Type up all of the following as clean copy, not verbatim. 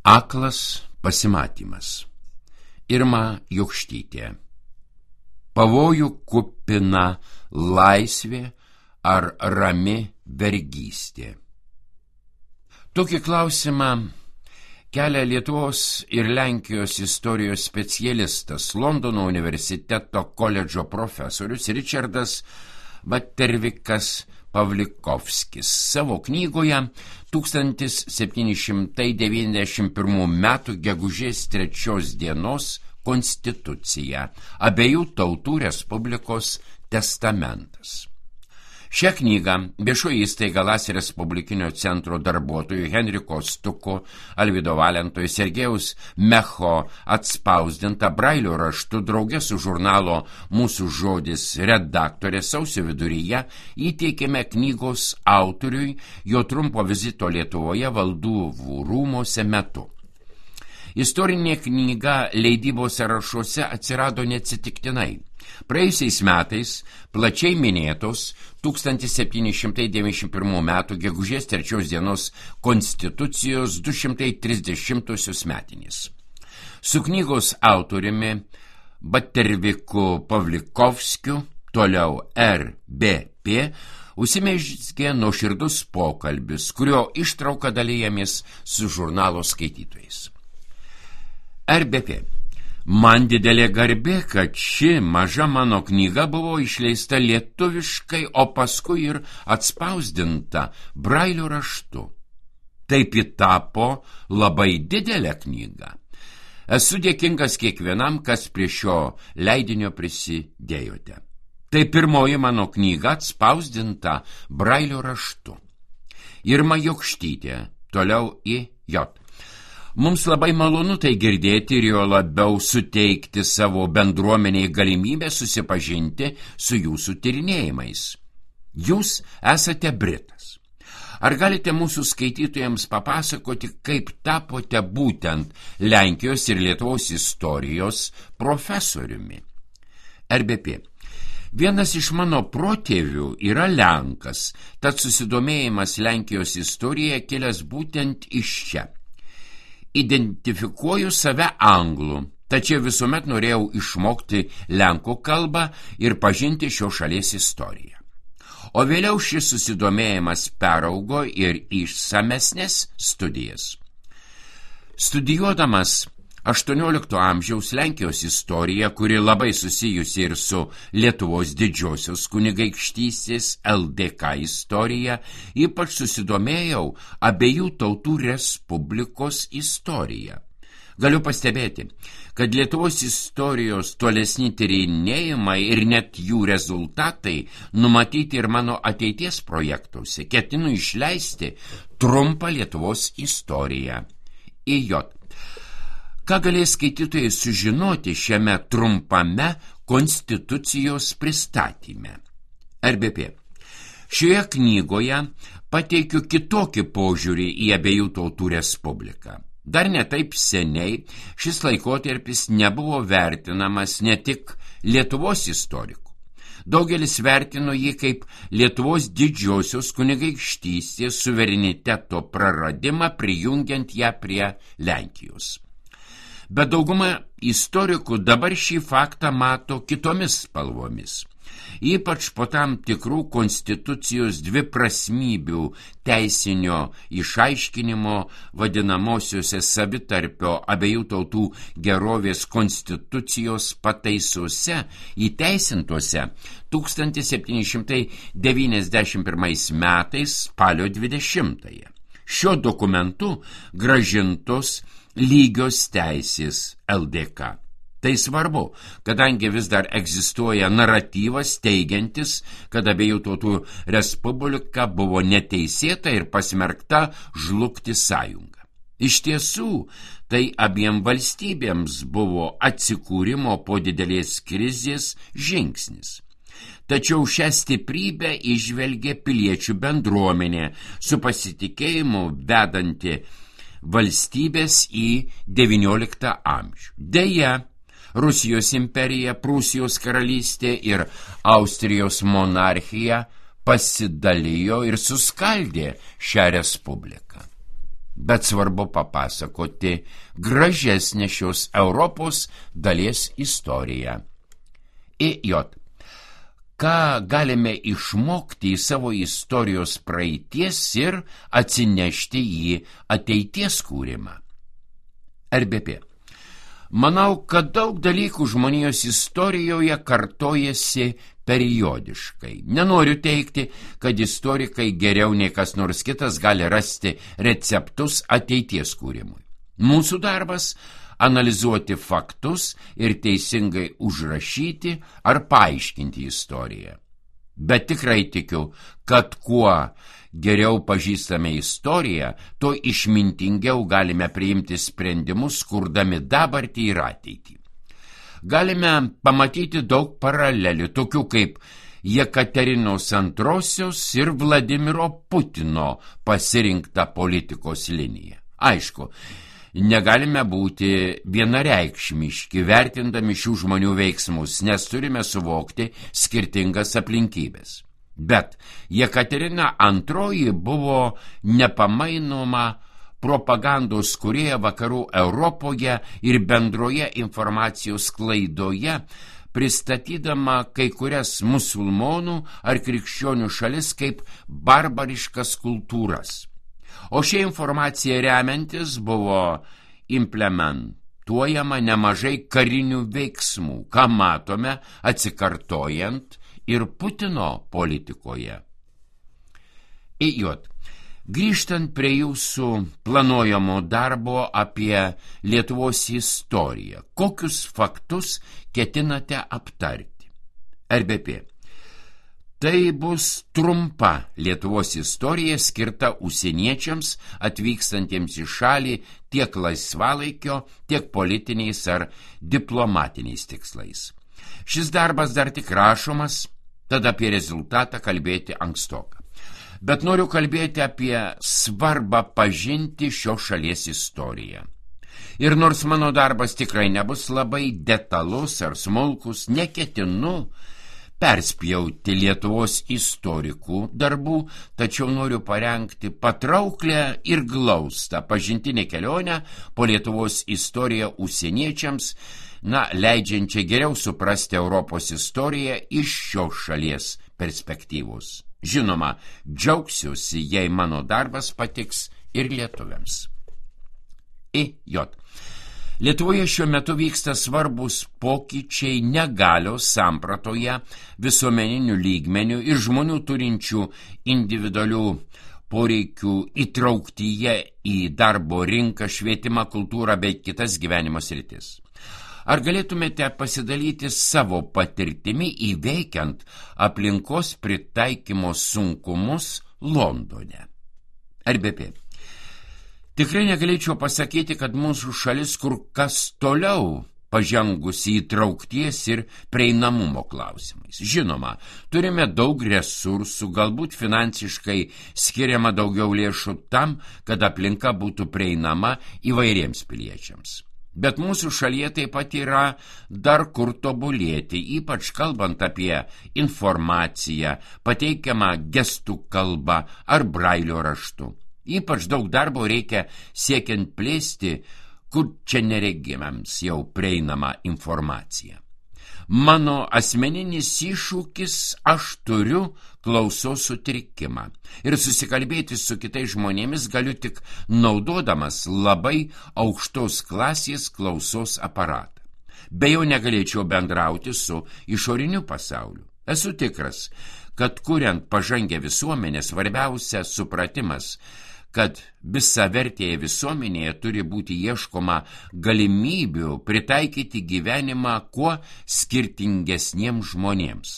Aklas pasimatymas. Irma Jokštytė. Pavojų kupina laisvė ar rami vergystė? Tokį klausimą kelia Lietuvos ir Lenkijos istorijos specialistas, Londono universiteto koledžo profesorius Ričardas Vatervikas Pavlikovskis savo knygoje 1791 metų gegužės 3 dienos Konstitucija, abiejų tautų Respublikos testamentas. Šią knygą viešoji įstaiga Las Respublikinio centro darbuotojų Henriko Stuko, Alvydo Valento ir Sergejaus Mecho atspausdinta brailio raštu drauge su žurnalo Mūsų žodis redaktorė sausio viduryje įteikėme knygos autoriui jo trumpo vizito Lietuvoje Valdovų rūmose metu. Istorinė knyga leidybos sąrašuose atsirado neatsitiktinai. Praėjusiais metais plačiai minėtos 1791 metų gegužės 3 dienos Konstitucijos 230 metinės. Su knygos autoriumi Vaterviku Pavlikovskiu, toliau RBP, užsimezgė nuoširdus pokalbis, kurio ištrauką dalijamės su žurnalo skaitytojais. RBP. Man didelė garbė, kad ši maža mano knyga buvo išleista lietuviškai, o paskui ir atspausdinta brailio raštu. Taip ji tapo labai didelė knyga. Esu dėkingas kiekvienam, kas prie šio leidinio prisidėjote. Tai pirmoji mano knyga atspausdinta brailio raštu. Irma Jokštytė, toliau IJ. Mums labai malonu tai girdėti ir jo labiau suteikti savo bendruomeniai galimybę susipažinti su jūsų tyrinėjimais. Jūs esate Britas. Ar galite mūsų skaitytojams papasakoti, kaip tapote būtent Lenkijos ir Lietuvos istorijos profesoriumi? RBP. Vienas iš mano protėvių yra Lenkas, tad susidomėjimas Lenkijos istorija kilęs būtent iš čia. Identifikuoju save anglų, tačiau visuomet norėjau išmokti lenkų kalbą ir pažinti šios šalies istoriją. O vėliau šis susidomėjimas peraugo ir išsamesnės studijas. Studijuodamas 18 amžiaus Lenkijos istoriją, kuri labai susijusi ir su Lietuvos didžiosios kunigaikštystės LDK istorija, ypač susidomėjau abiejų tautų Respublikos istoriją. Galiu pastebėti, kad Lietuvos istorijos tolesni tyrinėjimai ir net jų rezultatai numatyti ir mano ateities projektuose. Ketinu išleisti trumpą Lietuvos istoriją. IJ. Ką galės skaitytojai sužinoti šiame trumpame Konstitucijos pristatyme? RBP. Šioje knygoje pateikiu kitokį požiūrį į abiejų tautų Respubliką. Dar ne taip seniai šis laikotarpis nebuvo vertinamas ne tik Lietuvos istorikų. Daugelis vertino jį kaip Lietuvos didžiosios kunigaikštystės suvereniteto praradimą, prijungiant ją prie Lenkijos. Bet dauguma istorikų dabar šį faktą mato kitomis spalvomis. Ypač po tam tikrų Konstitucijos dviprasmybių teisinio išaiškinimo vadinamosiuose savitarpio abiejų tautų gerovės Konstitucijos pataisose įteisintuose 1791 metais spalio 20-ąją. Šiuo dokumentu grąžintos lygios teisės LDK. Tai svarbu, kadangi vis dar egzistuoja naratyvas teigiantis, kad abiejų tautų Respublika buvo neteisėta ir pasmerkta žlugti sąjunga. Iš tiesų, tai abiem valstybėms buvo atsikūrimo po didelės krizės žingsnis. Tačiau šią stiprybę įžvelgė piliečių bendruomenė su pasitikėjimu vedanti valstybės į XIX amžių. Deja, Rusijos imperija, Prūsijos karalystė ir Austrijos monarchija pasidalijo ir suskaldė šią respubliką. bet svarbu papasakoti gražesnę šios Europos dalies istoriją. Ką galime išmokti į savo istorijos praeities ir atsinešti į ateities kūrimą? RBP. Manau, kad daug dalykų žmonijos istorijoje kartojasi periodiškai. Nenoriu teigti, kad istorikai geriau nei kas nors kitas gali rasti receptus ateities kūrimui. Mūsų darbas – analizuoti faktus ir teisingai užrašyti ar paaiškinti istoriją. Bet tikrai tikiu, kad kuo geriau pažįstame istoriją, tuo išmintingiau galime priimti sprendimus, kurdami dabartį ir ateitį. Galime pamatyti daug paralelių, tokių kaip Jekaterinos II ir Vladimiro Putino pasirinkta politikos linija. Aišku, negalime būti vienareikšmiški, vertindami šių žmonių veiksmus, nes turime suvokti skirtingas aplinkybės. Bet Jekaterina II buvo nepamainoma propagandos kūrėja vakarų Europoje ir bendroje informacijos sklaidoje, pristatydama kai kurias musulmonų ar krikščionių šalis kaip barbariškas kultūras. O šią informaciją remiantis buvo implementuojama nemažai karinių veiksmų, ką matome atsikartojant ir Putino politikoje. Grįžtant prie jūsų planuojamo darbo apie Lietuvos istoriją, kokius faktus ketinate aptarti? RBP. Tai bus trumpa Lietuvos istorija skirta užsieniečiams atvykstantiems į šalį tiek laisvalaikio, tiek politiniais ar diplomatiniais tikslais. Šis darbas dar tik rašomas, tad apie rezultatą kalbėti ankstoka. Bet noriu kalbėti apie svarbą pažinti šios šalies istoriją. Ir nors mano darbas tikrai nebus labai detalus ar smulkus, neketinu perspjauti Lietuvos istorikų darbų, tačiau noriu parengti patrauklę ir glaustą pažintinę kelionę po Lietuvos istoriją užsieniečiams, leidžiančią geriau suprasti Europos istoriją iš šios šalies perspektyvos. Žinoma, džiaugsiuosi, jei mano darbas patiks ir lietuviams. Lietuvoje šiuo metu vyksta svarbus pokyčiai negalios sampratoje, visuomeninių lygmenių ir žmonių turinčių individualių poreikių įtrauktyje į darbo rinką, švietimą, kultūrą bei kitas gyvenimo sritis. Ar galėtumėte pasidalyti savo patirtimi įveikiant aplinkos pritaikymo sunkumus Londone? RBP. Tikrai negalėčiau pasakyti, kad mūsų šalis kur kas toliau pažengusi įtraukties ir prieinamumo klausimais. Žinoma, turime daug resursų, galbūt finansiškai skiriama daugiau lėšų tam, kad aplinka būtų prieinama įvairiems piliečiams. Bet mūsų šalyje taip pat yra dar kur tobulėti, ypač kalbant apie informaciją, pateikiamą gestų kalbą ar brailio raštu. Ypač daug darbo reikia siekiant plėsti, kur čia neregimams jau prieinama informacija. Mano asmeninis iššūkis, aš turiu klausos sutrikimą ir susikalbėti su kitais žmonėmis galiu tik naudodamas labai aukštos klasės klausos aparatą. Be jo negalėčiau bendrauti su išoriniu pasauliu. Esu tikras, kad kuriant pažangę visuomenę svarbiausia supratimas, kad visavertėje visuomenėje turi būti ieškoma galimybių pritaikyti gyvenimą kuo skirtingesniems žmonėms.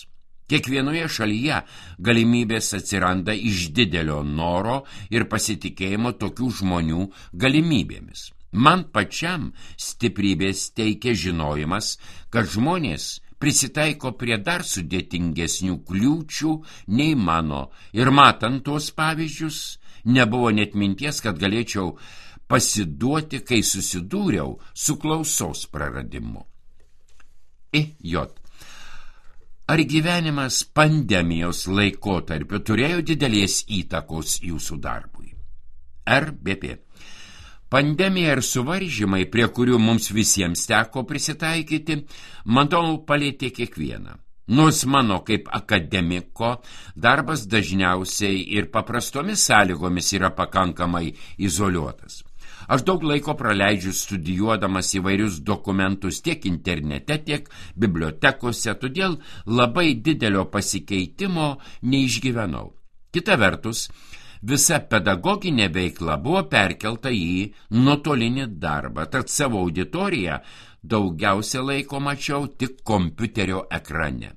Kiekvienoje šalyje galimybės atsiranda iš didelio noro ir pasitikėjimo tokių žmonių galimybėmis. Man pačiam stiprybės teikia žinojimas, kad žmonės prisitaiko prie dar sudėtingesnių kliūčių nei mano ir matant tuos pavyzdžius, nebuvo net minties, kad galėčiau pasiduoti, kai susidūriau su klausos praradimu. Ar gyvenimas pandemijos laikotarpiu turėjo didelės įtakos jūsų darbui? RBP. Pandemija ir suvaržymai, prie kurių mums visiems teko prisitaikyti, manau, palėtė kiekvieną. Nors mano kaip akademiko darbas dažniausiai ir paprastomis sąlygomis yra pakankamai izoliuotas. Aš daug laiko praleidžiu studijuodamas įvairius dokumentus tiek internete, tiek bibliotekose, todėl labai didelio pasikeitimo neišgyvenau. Kita vertus, visa pedagoginė veikla buvo perkelta į nuotolinį darbą, tad savo auditoriją daugiausia laiko mačiau tik kompiuterio ekrane.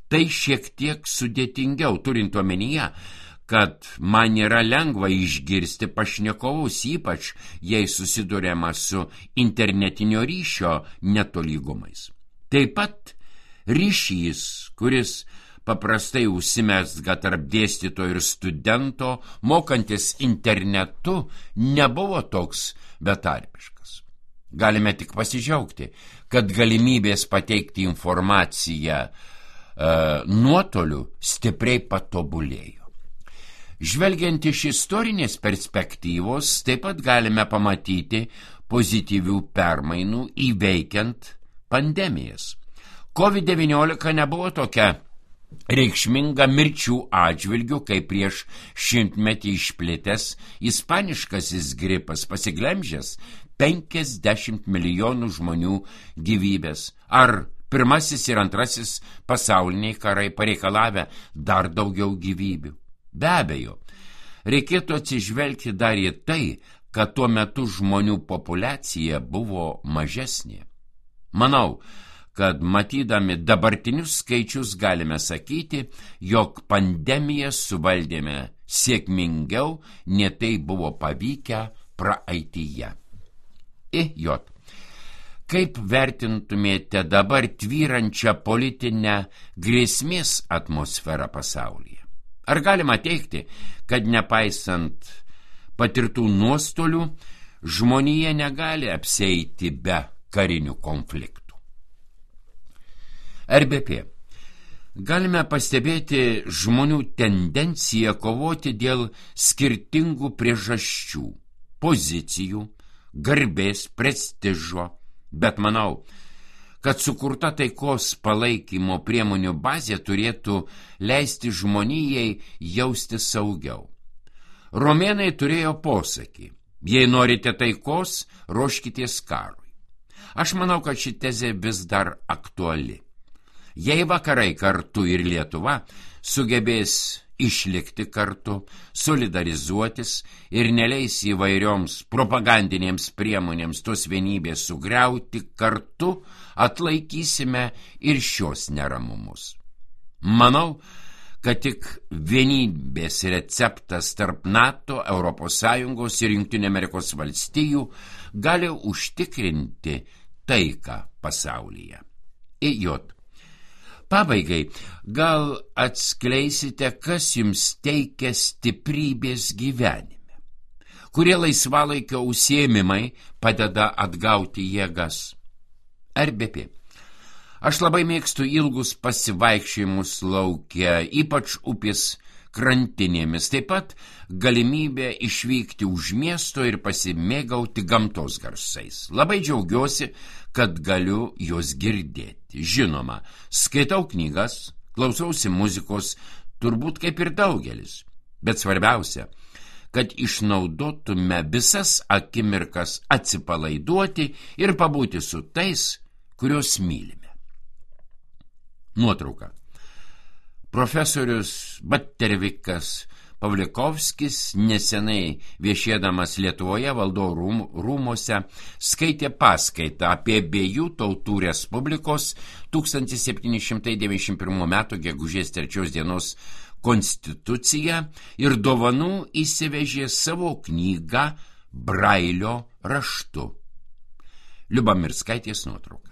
Tai šiek tiek sudėtingiau, turint omenyje, kad man yra lengva išgirsti pašnekovus, ypač jei susiduriama su internetinio ryšio netolygumais. Taip pat ryšys, kuris paprastai užsimezga tarp dėstytojo ir studento, mokantis internetu, nebuvo toks betarpiškas. Galime tik pasidžiaugti, kad galimybės pateikti informaciją nuotoliu stipriai patobulėjo. Žvelgiant iš istorinės perspektyvos, taip pat galime pamatyti pozityvių permainų įveikiant pandemijas. COVID-19 nebuvo tokia reikšminga mirčių atžvilgių, kaip prieš 100-metį išplitęs ispaniškasis gripas, pasiglemžęs 50 milijonų žmonių gyvybės, ar pirmasis ir antrasis pasauliniai karai pareikalavę dar daugiau gyvybių. Be abejo, reikėtų atsižvelgti dar į tai, kad tuo metu žmonių populiacija buvo mažesnė. Manau, kad matydami dabartinius skaičius galime sakyti, jog pandemiją suvaldėme sėkmingiau, nei tai buvo pavykę praeityje. Kaip vertintumėte dabar tvyrančią politinę grėsmės atmosferą pasaulyje? Ar galima teigti, kad nepaisant patirtų nuostolių, žmonija negali apsieiti be karinių konfliktų? RBP. Galime pastebėti žmonių tendenciją kovoti dėl skirtingų priežasčių, pozicijų, garbės, prestižo, bet manau, kad sukurta taikos palaikymo priemonių bazė turėtų leisti žmonijai jausti saugiau. Romėnai turėjo posakį: jei norite taikos, ruoškitės karui. Aš manau, kad ši tezė vis dar aktuali. Jei vakarai kartu ir Lietuva sugebės išlikti kartu, solidarizuotis ir neleis įvairioms propagandinėms priemonėms tos vienybės sugriauti, kartu atlaikysime ir šios neramumus. Manau, kad tik vienybės receptas tarp NATO, ES ir Jungtinių Amerikos valstijų gali užtikrinti taiką pasaulyje. Pabaigai, gal atskleisite, kas jums teikia stiprybės gyvenime? Kurie laisvalaikio užsiėmimai padeda atgauti jėgas? RBP. Aš labai mėgstu ilgus pasivaikščiojimus lauke, ypač upės krantinėmis, taip pat galimybę išvykti už miesto ir pasimėgauti gamtos garsais. Labai džiaugiuosi, kad galiu juos girdėti. Žinoma, skaitau knygas, klausausi muzikos, turbūt kaip ir daugelis. Bet svarbiausia, kad išnaudotume visas akimirkas atsipalaiduoti ir pabūti su tais, kuriuos mylime. Nuotrauka. Profesorius Battervikas Pavlikovskis nesenai viešėdamas Lietuvoje Valdovų rūmuose skaitė paskaitą apie Abiejų tautų Respublikos 1791 m. gegužės 3 dienos konstituciją ir dovanų įsivežė savo knygą Brailio raštu. Liubamirskaitės nuotrauka.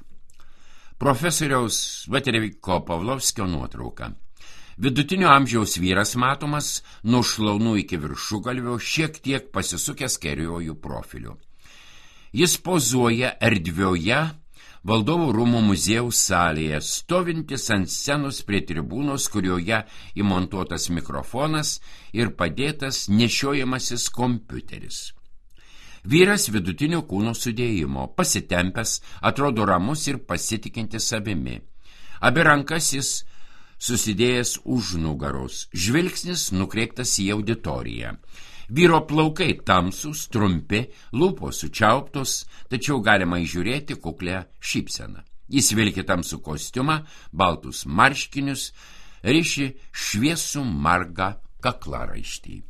Profesoriaus Batterviko Pavlovskio nuotrauka. Vidutinio amžiaus vyras matomas nuo šlaunų iki viršugalvio, šiek tiek pasisukęs kairiuoju profiliu. Jis pozuoja erdvioje Valdovų rūmų muziejaus salėje, stovintis ant scenos prie tribūnos, kurioje įmontuotas mikrofonas ir padėtas nešiojamasis kompiuteris. Vyras vidutinio kūno sudėjimo, pasitempęs, atrodo ramus ir pasitikintis savimi. Abi rankas jis susidėjęs už nugaros, žvilgsnis nukreiptas į auditoriją. Vyro plaukai tamsūs, trumpi, lūpos sučiauptos, tačiau galima įžiūrėti kuklę šypseną. Jis vilki tamsų kostiumą, baltus marškinius, riši šviesų margą kaklaraištį.